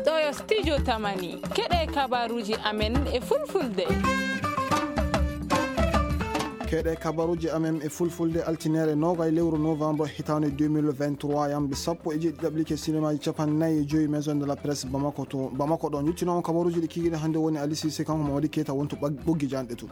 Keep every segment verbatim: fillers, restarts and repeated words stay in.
Ɗo yo studio Tamani. Keɗe kabaruji amen e fulfulde. Keɗe kabaruji amen e fulfulde, altinere nogay lewru novembre hitande deux mille vingt-trois, yamde sappo e jeeɗiɗi ɗaɓɓike sinemaji capanɗe nayi e joyi Maison de la Presse Bamako to Bamako ɗon. Yettinoo on kabaruji ɗi kikiɗe hannde woni Ali Cissé, kanko Mamadi Keita wonto ɓag-, ɓoggi janɗe to.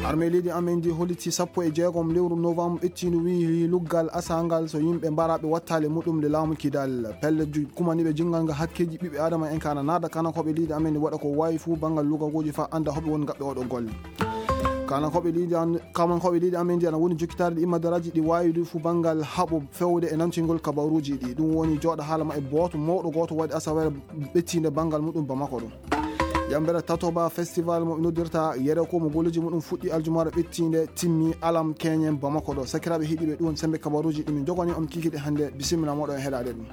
Armée leydi amen ndi holliti sappo e jeegom lewru novembre ɓettindu wi luggal asangal so yimɓe mbaraɓe wattale muɗum le laamu Kidal. Pelle ju-, kumaniɓe jingal nga hakkeji ɓiɓɓe adama en kana naada kana koɓe leydi amen ndi waɗa ko wawi fuu bangal lugagoji fa anda hoɓe woni gaɓɓe oɗo golle. Kana koɓe leydi an-, kaman koɓe leydi amen ndi ana woni jokkitaade ɗi immadaaraji ɗi wawi ɗi fuu bangal haɓo fewde e nantingol kabaruji ɗi. Ɗum woni jooɗa haala ma e booto mawɗo gooto waɗi asawere ɓettinde bangal muɗum Bamako ɗum. Yambere Tatoba Festival mo ɓe noddirta Yere ko mo golleji muɗum fuɗɗi aljumaare ɓettiinde timmi Alam Keñen Bamako ɗo. Sakiraaɓe heɗiiɓe, ɗum woni sembe kabaruji ɗi min jogani on kikiɗe hannde. Bisimilla moɗon e heɗaade ɗum.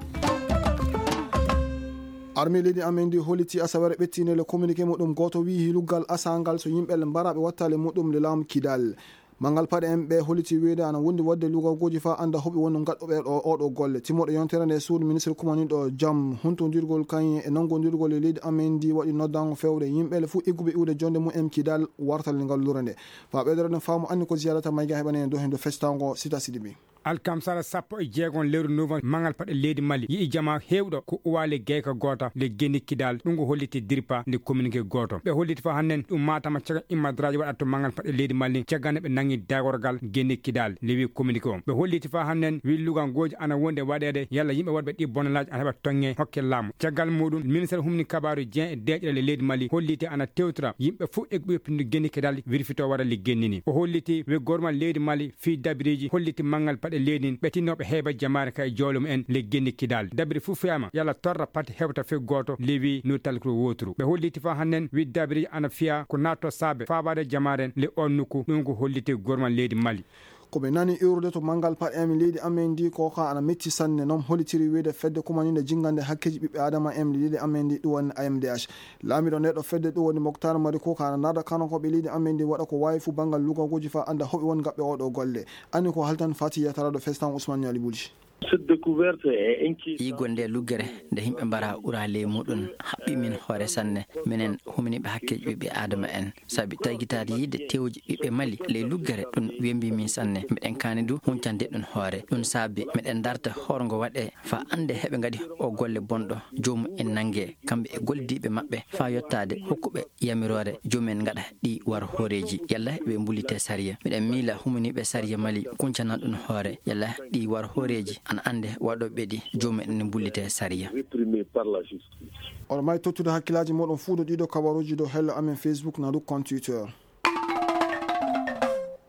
Armée leydi amen ndi holliti asawere ɓettiinde le communiqué muɗum gooto wi'i luggal asangal so yimɓe le mbaraɓe wattale muɗum le laamu Kidal. Mangal paɗe en ɓe holliti wiyde ana wondi waɗde lugagoji fa anda hoɓe woni gaɗɗuɓe ɗo oɗo golle. Timmoɗo yontere nde suudu ministre kumaniɗo jam huntondirgol kañum e nanngondirgol e leydi amen ndi waɗi noddango fewde yimɓe le fuu egguɓe iwde jonde mum en Kidal wartal ngal lure nde. Fa ɓeydorede faamu anni ko ziyarata mayga heɓane en dow hendo festango Sita Sidibé. Alkamsara sappo e jeegom lewru novembre, mangal paɗe leydi Mali yi'i jama heewɗo ko uwale geyka goota le geni Kidal. Ɗum ko holliti dirpa nde communiqué gooto. Ɓe holliti fa hannen ɗum matama caga immadraji waɗata to mangal paɗe leydi Mali caggal nde ɓe nangi dagorgal geni Kidal, lewi communiqué o. Ɓe holliti fa hannen wi lugangoji ana wonde waɗede yalla yimɓe waɗɓe ɗi bonalaji ana heɓa tonge hokke laamu. Caggal muɗum, ministre humni kabaru Jean e deƴƴere le leydi Mali holliti ana tewtira yimɓe fof e ɓurpinde geni Kidal wirfito waɗa le gennini. O holliti wi gormal leydi Mali fii dabiriji holliti mangal paɗe leydi ɓe tinnoɓe heɓa jamaare ka e jawle mumen le geni Kidal. Dabiri fof fiyama yalla torra pati hewta fe gooto lewi no talkiro woturu. Ɓe holliti fa hannen wi dabiriji ana fiya ko natto saabe faabade jamaare le on nokku. Ɗum ko holliti gormal leydi Mali. Ko ɓe nani iwrude to mangal paɗe en leydi amen ndi ko ka ana metti sanne, non hollitiri wiyde fedde kumaninde jingande hakkeji ɓiɓɓe adama en leydi amen ndi ɗum woni A M D H. Laamiɗo nde ɗo fedde ɗum woni Moktar Mari ko ka ana naada kano ko ɓe leydi amen ndi waɗa ko wawi fu bangal lugagoji fa anda hoɓe woni gaɓɓe oɗo golle. Ani ko haltan Fati Yatara ɗo festan Ousmane Niali Bulji. Cette découverte est inquiétante. Yigo nde luggere nde yimɓe mbara ura ley muɗum haɓɓi min hoore sanne. Minen humniɓe hakkeji ɓiɓɓe adama en. Sabi tagitaade yiide tewji ɓiɓɓe Mali ley luggere ɗum wembi min sanne. Miɗen kaani du huncande ɗum hoore. Ɗum saabi miɗen darta horgo waɗe fa ande heɓe ngaɗi o golle bonɗo. Joomum en nange kamɓe e goldiiɓe maɓɓe fa yottaade hokkuɓe yamiroore joomum en ngaɗa ɗi war hooreeji. Yalla ɓe mbulite sariya. Miɗen miila humniiɓe sariya Mali kuncana ɗum hoore. Yalla ɗi war hooreeji ana ande waɗoɓe ɗi joomum en mbulite sariya. Réprimé par la justice. Oɗo may tottude hakkillaaji moɗon fuu ɗo ɗiɗo kabaruuji dow hello amen Facebook na du compte Twitter.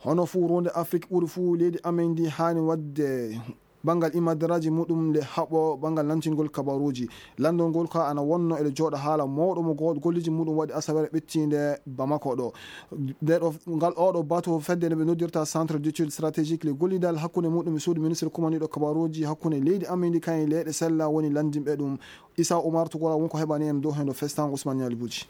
Hono fuu ronde Afrique ɓuri fuu leydi amen ndi haani waɗde bangal imadaraaji muɗum nde haɓo bangal nantingol kabaruuji. Landol ngol ka ana wonno eɗo jooɗa haala mawɗo mo go-, golleji muɗum waɗi asawere ɓettiinde Bamako ɗo. Nde ɗo, ngal oɗo bato fedde nde ɓe noddirta Centre d'études stratégiques le gollidal hakkunde muɗum e suudu ministre kumaniɗo kabaruuji hakkunde leydi amen ndi kañum e leyɗe sella woni landinɓe ɗum. Issa Oumar Toucoura wonko heɓani en dow heen ɗo festango Ousmane Niali Boudji.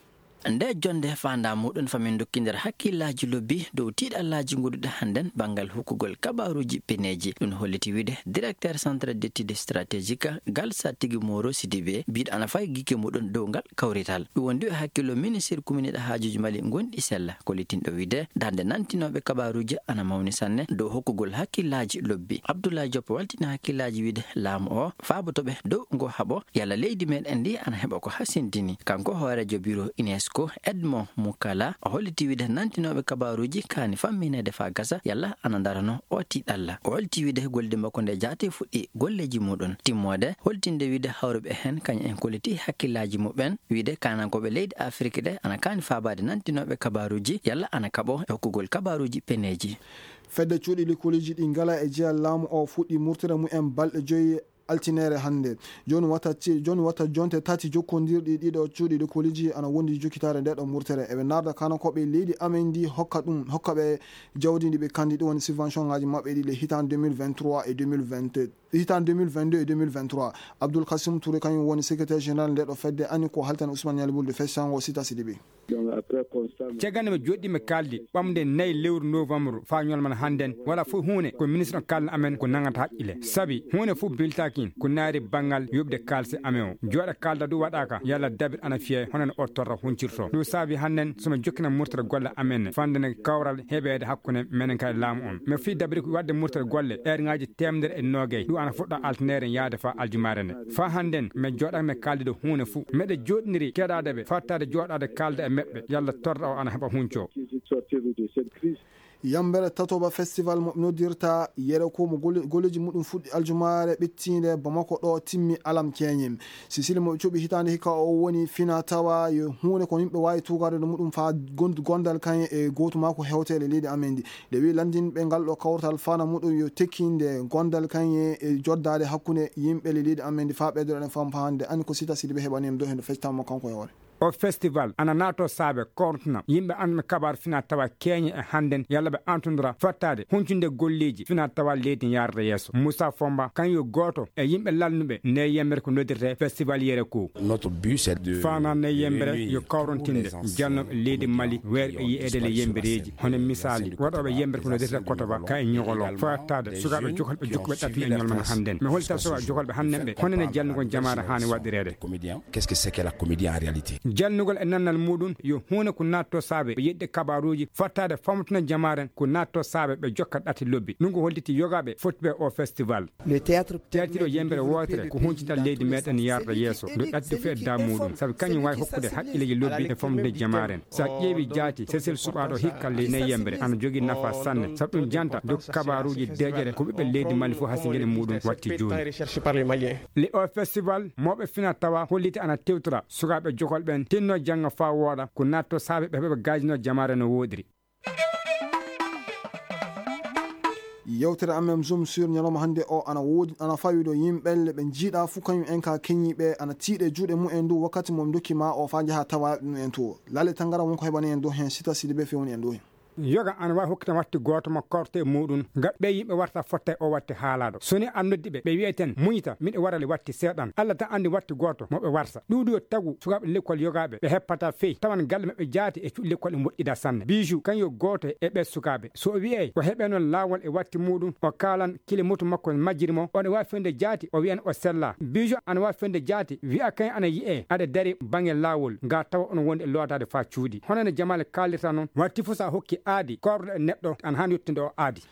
Nde jonde faanda muɗum famin dokkindir hakkillaaji lobbi dow tiiɗallaaji goɗɗuɗi hannden banngal hokkugol kabaruuji peneeji. Ɗum holliti wiide directeur centre d'étude stratégique Galsa Tigi Moro Sidibé biiɗo ana fayi gike muɗum dow ngal kawrital. Ɗum wondi e hakkillo ministre kuminiɗo haajuuji Mali gonɗi sella, kollitinɗo wiide darnde nantinooɓe kabaruuji ana mawni sanne dow hokkugol hakkillaaji lobbi. Abdoulaye Diop waltini hakkillaaji wiide laamu o faabotoɓe dow ngo haɓo yalla leydi meɗen ndi ana heɓa ko hasindini. Kanko hooreejo biro UNESCO Edmond Mukala o holliti wiide nantinooɓe kabaruuji kaani fammineede faa gasa yalla ana darano o tiiɗalla. O holti wiide golde makko nde jaati fuɗɗi golleeji muɗum timmoode, holtinde wiide hawruɓe heen kañum en kolliti hakkillaaji muɓɓen wiide kaanankooɓe leydi Afiriki ɗe ana kaani faabaade nantinooɓe kabaruuji yalla ana kaɓo e hokkugol kabaruuji peneeji. Fedde cuuɗi likoliiji ɗi ngala e jeya laamu o fuɗɗi murtere mumen balɗe joyi altinere hannde. Jooni wata ci-, jooni wata jonte tati jokkondirɗi ɗiɗo cuuɗi likoliiji ana wondi jokkitaare nde ɗo murtere. Eɓe narda kano ko ɓe leydi amen ndi hokka ɗum, hokka ɓe jawdi ndi ɓe kandi ɗum woni subvention ngaji maɓɓe ɗi le hitan deux mille vingt-trois et deux mille vingt-deux. Hitaande deux mille vingt-deux e deux mille vingt-trois, Abdoul Kassim Touré kañum woni secrétaire général nde ɗo fedde, ani ko haltani Ousmane Nialy Boulde Fessango Sita Sidibe. Caggal nde mi joɗɗi mi kaldi ɓamde nayi lewru novembre faa ñolman hannden, wala fof huunde ko ministre on kalna amen ko nangata haqqille. Sabi huunde fof biltakin ko naari banngal yoɓde kaalse amen o. Jooɗa kalda du waɗaaka, yalla dabir ana fiye, hono no o torra huncirto. Ɗum saabi hannden so mi jokkina murtere golle amen, fande ne kawral heɓeede hakkunde menen kay laamu on. Mi fii dabiri ko waɗde murtere golle, eerŋaaji teemedere e noogay, ɗum ana fuɗɗa altinere yaade faa aljumaare nde. Faa hannden, mi jooɗaaka mi kaldi ɗo huunde fof. Meɗe jooɗniri keɗaade ɓe, fattaade jooɗaade kalda e meɓɓe, yalla torra o ana heɓa hunco. Yambere tatoba festival mo noddirta yere ko mo gole-, goleji muɗum fuɗɗi aljumaare ɓettiinde Bamako ɗo timmi alam keñim. Sisili mo ɓe cuɓi hitaande hikka o woni fina tawa yo huunde ko yimɓe waawi tuugaade no muɗum faa gond-, gondal kañe e gootu maa ko hewte e leydi amen ndi. Nde wi lanndinɓe ngal ɗo kawtal fana muɗum yo tekkinde gondal kañe e joddaade hakkunde yimɓe e leydi amen ndi faa ɓeydoɗen fam hannde. Ani ko Sita Sidibe heɓani en ɗo heen ɗo fectama kanko e hoore. O festival ana naato saabe kortna yimɓe anndana kabaar fina tawa keñe e hannden yalla ɓe antondora fattaade huncunde golleeji fina tawa leydi yaarde yeeso. Moussa Fomba kan yo gooto e yimɓe lalnuɓe nde yembere ko noddirte festival yere ko. Notre but, c'est de faanaa nde yembere yo kawrontinde jalnooɓe leydi Mali weerɓe yiyeede le yembereeji, hono misaali waɗooɓe yembere ko noddirte kotoba ka e ñogolo fattaade sukaaɓe jokolɓe jokkuɓe ɗattuɓe ñolmana hannden. Mi holta sukaaɓe jokolɓe hannden ɓe honene jalnugol jamaare haani waɗireede. Comédien, qu'est-ce que c'est que la comédie en réalité? Jalnugol e nannal muɗum yo huunde ko naatto saabe ɓe yeɗde kabaruuji fattaade famtuna jamaaren ko naatto saabe ɓe jokka ɗati lobbi. Ɗum ko holliti yogaaɓe fottuɓe o festival. Le théâtre théâtre o yembere wootere ko huncital leydi meɗen yarda yeeso ndu ɗatti fof e da muɗum sabu kañum waawi hokkude haqqilleeji lobbi e famɗude jamaaren. So a ƴeewi jaati sesel suɓaaɗo hikka ley ne yembere ana jogii nafa sanne sabu ɗum janta dow kabaruuji deeƴere ko ɓiɓɓe leydi mali fof hasingel e muɗum watti jooni. Le o festival mawɓe fina tawa holliti ana tewtora sukaaɓe jokol ɓen tinno jannga faa wooɗa ko natto saabe ɓe heɓa gaajino jamaare no wooɗiri. Yewtere amen Zoom sur ñalawma hannde o ana woodi, ana fawi ɗo yimɓe le ɓe njiiɗa fuu kañum en ka keñiiɓe ana tiiɗe juuɗe mumen dow wakkati mo ndokki ma o faa njaha tawa ɗum en to. Lale tangara wonko heɓani en dow heen Sita Sidibe fewni en dow heen. Yoga ana waawi hokkita watti gooto mo korte e muɗum ngam ɓe yimɓe warta fotta e o watti haalaɗo. So ni an noddi ɓe, ɓe wi'eten muñita miɗo warali watti seeɗan. Allah tan anndi watti gooto mo ɓe warsa. Ɗuuɗi yo tagu sukaaɓe lekkol yogaaɓe ɓe heppata fey tawan galle maɓɓe jaati e cuuɗi lekkol e moƴƴida sanne. Bijou kan yo gooto e ɓe sukaaɓe. So o wi'ey o heɓe noon laawol e watti muɗum, o kaalan kile moto makko majjiri mo, oɗo waawi fewde jaati, o wi'an o sella. Bijou ana waawi fewde jaati, wi'a kañ ana yi'e aɗa dari baŋnge laawol, nga tawa oɗon wondi e lootaade faa cuuɗi. Hono no Jamal kaalirta noon, watti fof so a hokki aadi, korɗo e neɗɗo ana haani yettude o aadi.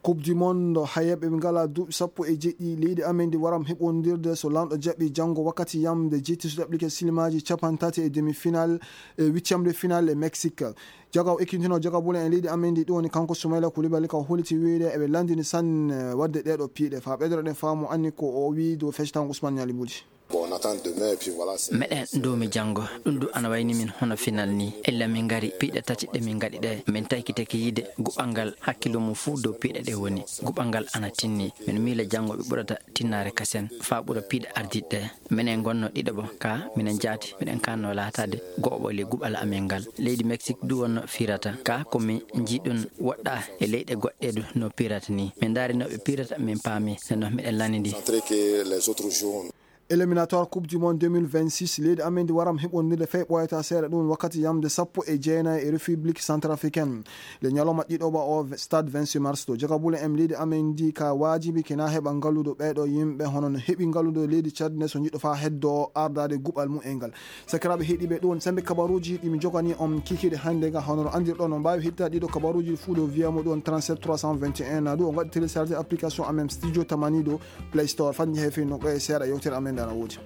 Coupe du monde, hayeeɓe ɓe ngalaa duuɓi sappo e jeɗɗi, leydi amen ndi waram heɓondirde so lanɗo jaɓi janngo wakkati yamde jetti so ɗaɓɓike silimaaji cappanɗe tati e demi-finale e huitième de finale e Mexique. Joga o ekkitintinoo joga bulen e leydi amen ndi ɗum woni kanko Soumaïla Koulibaly ka o holliti wiyde eɓe lanndini sanne waɗde ɗee ɗoo piiɗe. Faa ɓeydoreɗen faamu anni ko o wiyi dow fectango Ousmane Nialy Boulde. Bon, on attend demain et puis voilà, c'est meɗen nduumi janngo, ɗum du ana wayni min hono final ni. Illa min ngari piiɗe tati ɗe min ngaɗi ɗe, min taykitake yiide guɓal ngal hakkillo mum fuu dow piiɗe ɗe woni. Guɓal ngal ana tinni. Min miila janngo ɓe ɓurata tinnaare kasen faa ɓura piiɗe ardiiɗe ɗe. Minen ngonno ɗiɗo bo, ka minen jaati, miɗen kanno laataade go'oɓo ley guɓal amin ngal. Leydi Mexique du wonno firata, ka ko mi njiɗun woɗɗa e leyɗe goɗɗe du no pirata ni. Min ndaari no ɓe pirata, min paami, nenno miɗen lanndi. Centré que les autres jours. Éliminatoire Coupe du Monde deux mille vingt-six, leydi amen ndi waram heɓondirde fay ɓooyata seeɗa ɗum wakkati yamde sappo e jeenayi e République Centrafricaine. Le ñalawma ɗiɗo ba o Stade vingt-six mars to. Jagabule en leydi amen ndi ka waajibi kina heɓa ngalludo ɓeeɗo yimɓe hono no heɓi ngalludo leydi Tchad ne so jiɗɗo faa heddo ardaade guɓal mum e ngal. Sakiraaɓe heɗiiɓe, ɗum woni sembe kabaruuji ɗi mi jogani on kikiiɗe hannde ga. Hono no anndirɗon, on mbaawi heɗitaade ɗiɗo kabaruuji fuu ɗo via mo ɗum woni trente-sept trois cent vingt et un na ɗum on ngaɗi télécharger application amen Studio Tamani ɗo Play Store. Fat njehe fii no ɓe seeɗa yewtere amen nde ana woodi.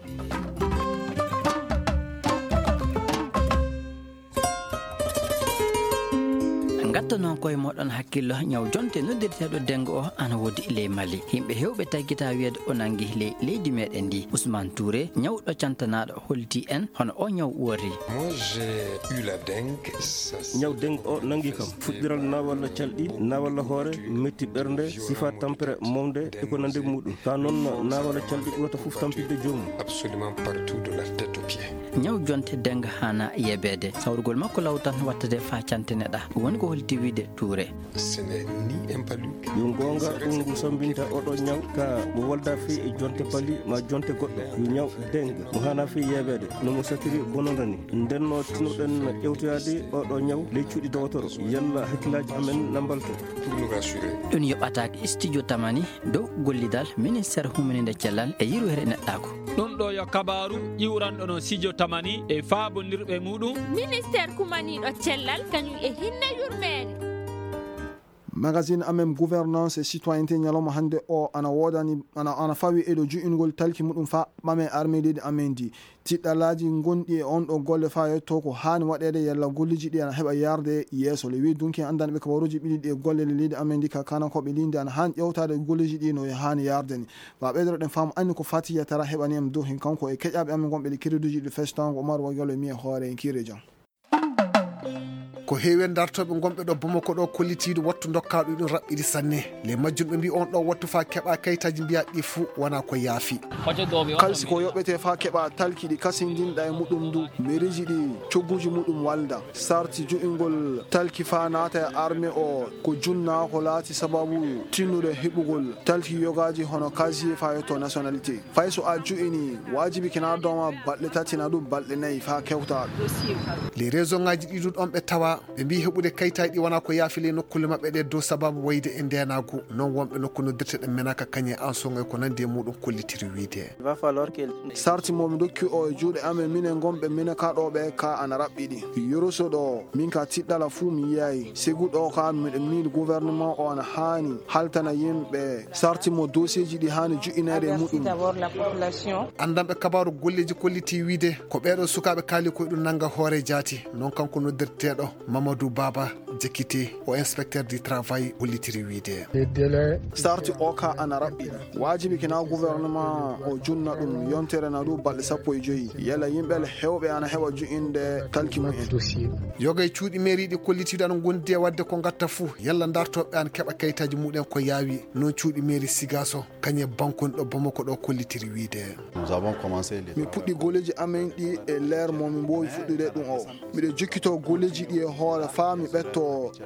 Ngatta noon koye moɗon hakkillo ñaw jonte noddirteeɗo dengo o ana woodi ley Mali. Yimɓe hewɓe taggita wiyeede o nangi ley leydi meɗen ndi. Ousmane Touré, ñawɗo cantanaaɗo, holti en hono o ñaw wori. Moi, j'ai eu la dengue. Ñaw dengue o nangi kam fuɗɗiral na walla calɗi na walla hoore, metti ɓernde, sifa tampere mawde e ko nande muɗum. Ka noon na walla calɗi ɓurata fof tampinde joomum. Absolument partout de la tête aux pieds. Ñaw jonte dengue hana yebeede. Sawrugol makko law tan wattade faa canteneɗa. Woni ko holti Tiwide Touré. Yo goonga, ɗum ngu sambinta oɗo ñaw ka mo walda fii e jonte bali ma jonte goɗɗo. Yo ñaw dengue mo hana fii yeebeede no mo satiri bononda ni. Nden no tinuɗen ƴewtoyaade oɗo ñaw ley cuuɗi dowotoro. Yalla hakkillaaji amen na mbalto. Pour nous rassurer. Ɗum yoɓataake Studio Tamani dow gollidal Ministeer Humininde Cellal e Yirwere Neɗɗaaku. Ɗum ɗo yo kabaaru iwranɗo no Studio Tamani e faabondirɓe muɗum. Ministeer kumaniiɗo cellal kañum e hinne yurmeende. Magazine amen gouvernance et citoyenneté ñalawma hannde o ana woodani, ana, ana fawi e ɗo ju'ingol talki muɗum fa ɓame armée leydi amen ndi. Tiɗɗalaaji ngonɗi e on ɗo golle fa yetto ko haani waɗeede yalla golleeji ɗi ana heɓa yarde yeeso. Le wi dunki anndanɓe kabaruuji ɓiɗi ɗi e golle le leydi amen ndi ka kanakooɓe linde ana haani ƴewtaade golleeji ɗi no haani yarde ni. Fa ɓeydoro ɗen faamu anni ko fati yetara heɓani en dow hen kanko e keƴaaɓe amen gonɓe ɗi kiriduuji ɗi festango Omar Wagalo mi e hoore en kire jam. Ko heewi e dartooɓe gonɓe ɗo Bamako ɗo kollitiiɗo wattu dokkaaɗo ɗum raɓɓiɗi sanne. Le majjum ɓe mbi on ɗo wattu fa keɓa kayitaaji mbiya ɗi fuu wona ko yaafi. Kalsi ko yoɓete fa keɓa talki ɗi kasindinɗa e muɗum ndu. Mairie ji ɗi cogguji muɗum walda. Sarti ju'ingol talki fa naata e armée o ko junna ko laati sababu tinnude heɓugol talki yogaaji hono casier fa yetto nationalité. Fay so a ju'ini, waajibi kina dooma balɗe tati na ɗum balɗe nayi faa kewtaa ɗum. Les région ŋaaji ɗi ɗum ɗon ɓe tawa, ɓe mbii heɓude kayitaaji ɗi wonaa ko yaafi ley nokkuule maɓɓe ɗe dow sababu wayde e ndeenaagu. Non wonɓe nokku noddirteeɗe menaka kañe en soŋay ko nandi e muɗum kollitiri wiide. Sarti mo mi dokki o e juuɗe amen minen gonɓe menaka ɗo ɓe ka ana raɓɓiɗi. Yoroso ɗo, min ka tiɗɗala fuu mi yiyayi. Segu ɗo ka miɗo miili gouvernement o ana haani haltana yimɓe sarti mo dossier ji ɗi haani ju'inaade e muɗum. Anndanɓe kabaaru golleeji kolliti wiide ko ɓeeɗo sukaaɓe kaali koye ɗum nannga hoore jaati. Non kanko noddirteeɗo Mamadou Baba Jekite o inspecteur du travail hollitiri wiide. Sarti o ka ana raɓɓi. Waajibi kina gouvernement o junna ɗum yontere na ɗum balɗe sappo e joyi. Yalla yimɓe hewɓe ana heɓa ju'inde talki mumen. Yoga e cuuɗi mairie ɗi kollitiiɗo ana ngondi e waɗde ko ngatta fuu. Yalla dartooɓe ana keɓa kayitaaji muɗen ko yaawi. Non cuuɗi mairie Sigaso kañe bankunɗo Bamako ɗo kollitiri wiide. Nous avons commencé les Min puɗɗi golleeji amen ɗi e leer mo min mboowi fuɗɗude ɗum o. Miɗo jokkito golleeji ɗi e hoore faa mi ɓetto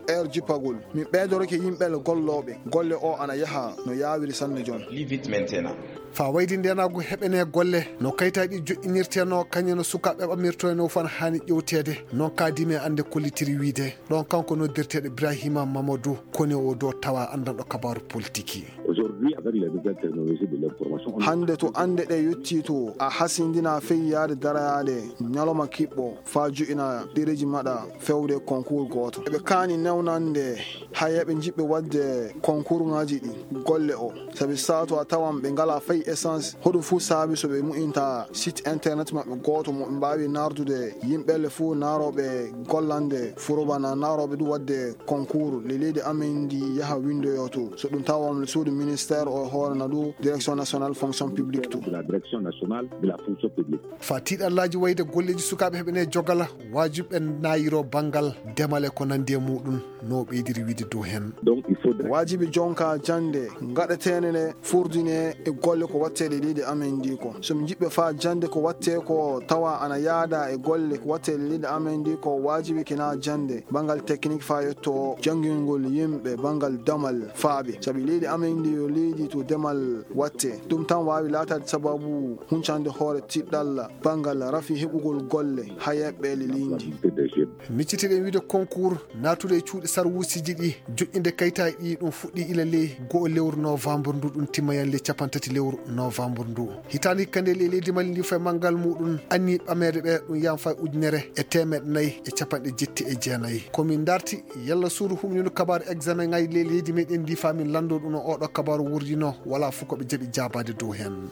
heure jippagol. Min ɓeydorake yimɓe gollooɓe. Golle o ana yaha no yaawiri sanne jon. Faa wayde ndeenaagu heɓene golle no kayitaaji ɗi joƴƴinirteno kañe no sukaaɓe ɓamirtoyno fan haani ƴewteede. Non kaadimi e annde kollitiri wiide. Ɗon kanko noddirteeɗo Ibrahima Mamadou koni o do tawa anndanɗo kabaaru politiki. Aujourd'hui, avec les nouvelles technologies de l'information, on Hannde to annde ɗe yettii to a hasindina feyyaade darayaade ñalawma kiɓɓo faa ju'ina ɗereeji maɗa fewde concours gooto. Eɓe kaani newnande hayeeɓe jiɓɓe waɗde concours ŋaaji ɗi golle o. Sabi sato a tawan ɓe ngalaa fay essence. Hoɗum fuu saabi so ɓe mu'inta site internet maɓɓe gooto mo ɓe mbaawi nardude yimɓe le fuu naarooɓe gollande furoba na naarooɓe ɗum waɗde concours le leydi amen ndi yaha windoyo to. So ɗum tawa on suudu ministère o hoore na ɗum direction nationale fonction publique to. De la direction nationale de la fonction publique. Fa tiiɗallaaji wayde golleeji sukaaɓe heɓene jogala waajiɓe naayiro banngal demal e ko nandi e muɗum no ɓeydiri wiide dow heen. Donc, il faut Waajibi jonka jannde ngaɗeteene ne furdine e golle ko wattee e leydi amen ndi ko. So mi jiɓɓe faa jannde ko wattee ko tawa ana yaada e golle ko wattee e leydi amen ndi ko waajibi kina jannde banngal technique faa yetto janngingol yimɓe banngal damal faaɓe. Sabi leydi amen ndi yo leydi to demal wattee. Ɗum tan waawi laataade sababu huncande hoore tiɗɗalla banngal rafi heɓugol golle hayeeɓe le leydi. Miccitiɗen wiide concours naatude e cuuɗi sarwuusiji ɗi joƴƴinde kayitaaji ɗi ɗum fuɗɗi ila ley go'o lewru novembre ndu ɗum timma yan ley capantati lewru novembre ndu. Hitaande hikka nde ley leydi Mali ndi fof e manngal muɗum anni ɓameede ɓe ɗum yan fay ujunere e teemeɗe nayi e capanɗe jetti e jeenayi. Ko min darti yalla suudu humnino kabaaru examen ngaji ley leydi meɗen ndi fa min lanndo ɗum no oɗo kabaaru wurdino wala fof ko ɓe jaɓi jaabaade dow heen.